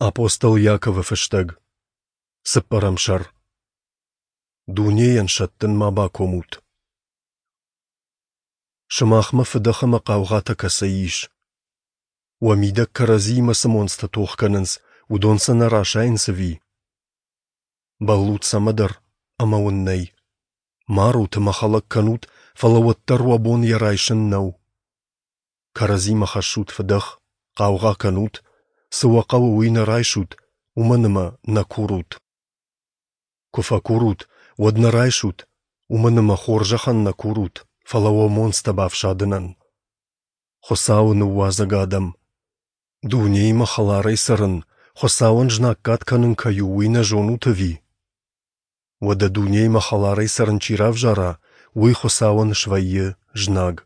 Апостол Иаковы фыстӕг, цыппӕрӕм сӕр. Дунейӕн сӕттын ма бакомут. Сымахмӕ фыдӕх ӕмӕ хъаугъатӕ кӕцӕй ис? Уӕ мидӕг кӕрӕдзиимӕ цы монцтӕ тох кӕнынц, уыдон сӕ нӕ расайынц ӕви? Бӕллут цӕмӕдӕр, ӕмӕ уын нӕй. Марут ӕмӕ хӕлӕг кӕнут, фӕлӕ уӕддӕр уӕ бон йӕ райсын нӕу. Кӕрӕдзимӕ хӕссут фыдӕх, хъаугъа кӕнут, цы уӕ хъӕуы, уый нӕ райсут, уымӕн ӕмӕ нӕ курут. Куы фӕкурут, уӕд нӕ райсут, уымӕн ӕмӕ хорзӕхӕн нӕ курут, фӕлӕ уӕ монцтӕ бафсадынӕн. Хуыцауы ныууадзӕг адӕм! Дунеимӕ хӕларӕй цӕрын, Хуыцауӕн знаггад кӕнын кӕй у, уый нӕ зонут ӕви? Уӕдӕ дунеимӕ хӕларӕй цӕрын чи равзара, уый Хуыцауӕн свӕййы знаг.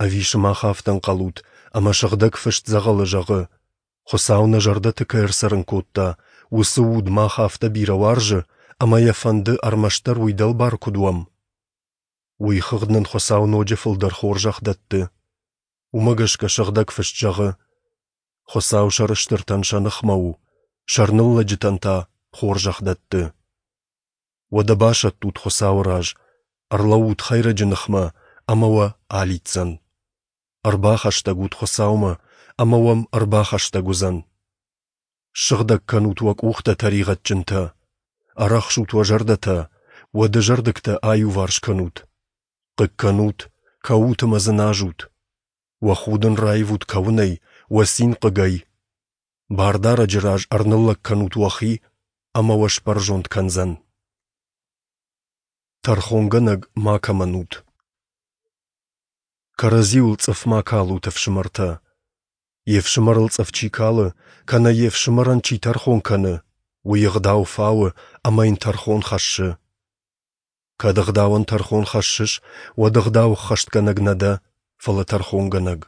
Ӕви сымах афтӕ ӕнхъӕлут, ӕмӕ Сыгъдӕг Фыст дзӕгъӕлы зӕгъы, Хуыцау нӕ зӕрдӕты кӕй ӕрцӕрын кодта, уыцы уд мах афтӕ бирӕ уарзы, ӕмӕ йӕ фӕнды ӕрмӕстдӕр уый дӕлбар куыд уӕм? Уый хыгъд нын Хуыцау ноджы фылдӕр хорзӕх дӕтты. Уымӕ гӕсгӕ Сыгъдӕг Фыст зӕгъы: Хуыцау сӕрыстыртӕн сӕ ныхмӕ у, сӕрныллӕджытӕн та хорзӕх дӕтты. Уӕдӕ басӕттут Хуыцауы раз, ӕрлӕуут хӕйрӕджы ныхмӕ, ӕмӕ уӕ алидздзӕн. Ӕрбахӕстӕг ут Хуыцаумӕ, ӕмӕ уӕм ӕрбахӕстӕг уыдзӕн. Ссыгъдӕг кӕнут уӕ къухтӕ, тӕригъӕдджынтӕ, ӕрӕхсут уӕ зӕрдӕтӕ, уӕ дызӕрдыгтӕ аиуварс кӕнут. Хъыг кӕнут, кӕут ӕмӕ дзыназут. Уӕ худын раивут кӕуынӕй, уӕ цин хъыгӕй. Бардарӕджы раз ӕрныллӕг кӕнут уӕхи, ӕмӕ уӕ сбӕрзонд кӕндзӕн. Тӕрхонгӕнӕг макӕмӕн ут. Кӕрӕдзиуыл цъыф ма калут, ӕфсымӕртӕ. Йе фсымӕрыл цъыф чи калы, кӕнӕ йе фсымӕрӕн чи тӕрхон кӕны, уый ӕгъдау фауы ӕмӕ йын тӕрхон хӕссы. Кӕд ӕгъдауӕн тӕрхон хӕссыс, уӕд ӕгъдау ӕххӕстгӕнӕг нӕ дӕ, фӕлӕ тӕрхонгӕнӕг.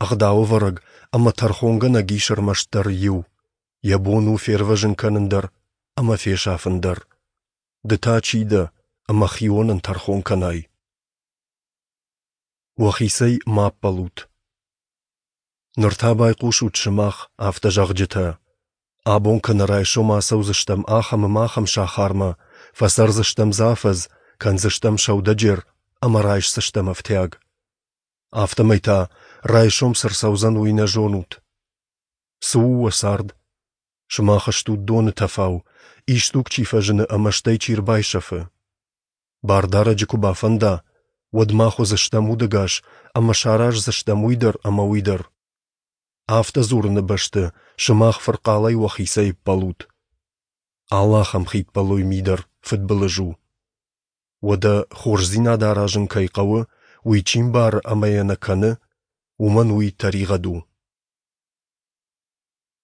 Ӕгъдауӕвӕрӕг ӕмӕ тӕрхонгӕнӕг ис ӕрмӕстдӕр иу, йӕ бон у фервӕзын кӕнын дӕр ӕмӕ фесафын дӕр. Ды та чи дӕ, ӕмӕ хионӕн тӕрхон кӕнай? Уӕхицӕй ма ӕппӕлут. Ныр та байхъусут сымах, афтӕ зӕгъджытӕ: Абон кӕнӕ райсом ацӕудзыстӕм ахӕм ӕмӕ ахӕм сахармӕ, фӕцӕрдзыстӕм дзы афӕдз, кӕндзыстӕм сӕудӕджер ӕмӕ райсдзыстӕм ӕфтиаг. Афтӕмӕй та, райсом цы рцӕудзӕн, уый нӕ зонут. Цы у уӕ цард? Сымах стут доны тӕфау, исдуг чи фӕзыны ӕмӕ стӕй чи рбайсӕфы. Бардарӕджы куы бафӕнда, уӕд мах уыдзыстӕм удӕгас ӕмӕ сараздзыстӕм уый дӕр ӕмӕ уый дӕр. Афтӕ дзурыны бӕсты сымах фырхъалӕй уӕхицӕй ӕппӕлут. Алы ахӕм хиппӕлой ми дӕр фыдбылыз у. Уӕдӕ хорздзинад аразын кӕй хъӕуы, уый чи мбары ӕмӕ йӕ нӕ кӕны, уымӕн уый тӕригъӕд у.